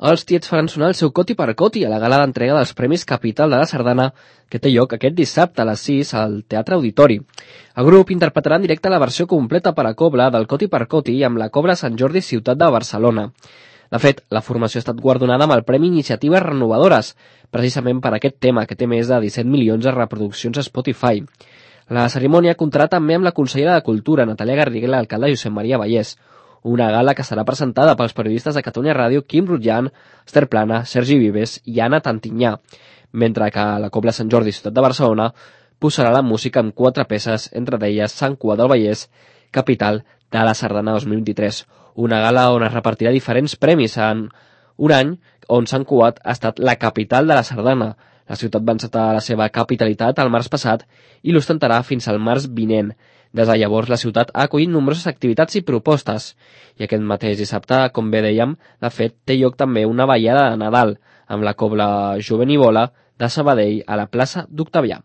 Els Tiets faran sonar el seu coti per coti a la gala d'entrega dels Premis Capital de la Sardana, que té lloc aquest dissabte a les 6 al Teatre Auditori. El grup interpretarà en directe la versió completa per a cobla del coti per coti amb la Cobla Sant Jordi Ciutat de Barcelona. De fet, la formació ha estat guardonada amb el Premi Iniciatives Renovadores, precisament per aquest tema, que té més de 17 milions de reproduccions a Spotify. La cerimònia comptarà també amb la consellera de Cultura, Natàlia Garrigues, i l'alcalde Josep Maria Vallès. Una gala que serà presentada pels periodistes de Catalunya Ràdio Quim Rutjan, Esther Plana, Sergi Vives i Anna Tantinyà, mentre que la Cobla Sant Jordi Ciutat de Barcelona posarà la música amb 4 peces, entre d'elles Sant Cugat del Vallès, capital de la Sardana 2023. Una gala on es repartirà diferents premis en un any on Sant Cugat ha estat la capital de la Sardana. La ciutat va encetar la seva capitalitat el març passat i l'ostentarà fins al març vinent. Des de llavors, la ciutat ha acollit nombroses activitats i propostes. I aquest mateix dissabte, com bé dèiem, de fet, té lloc també una ballada de Nadal, amb la Cobla Jovenivola de Sabadell a la plaça d'Octavià.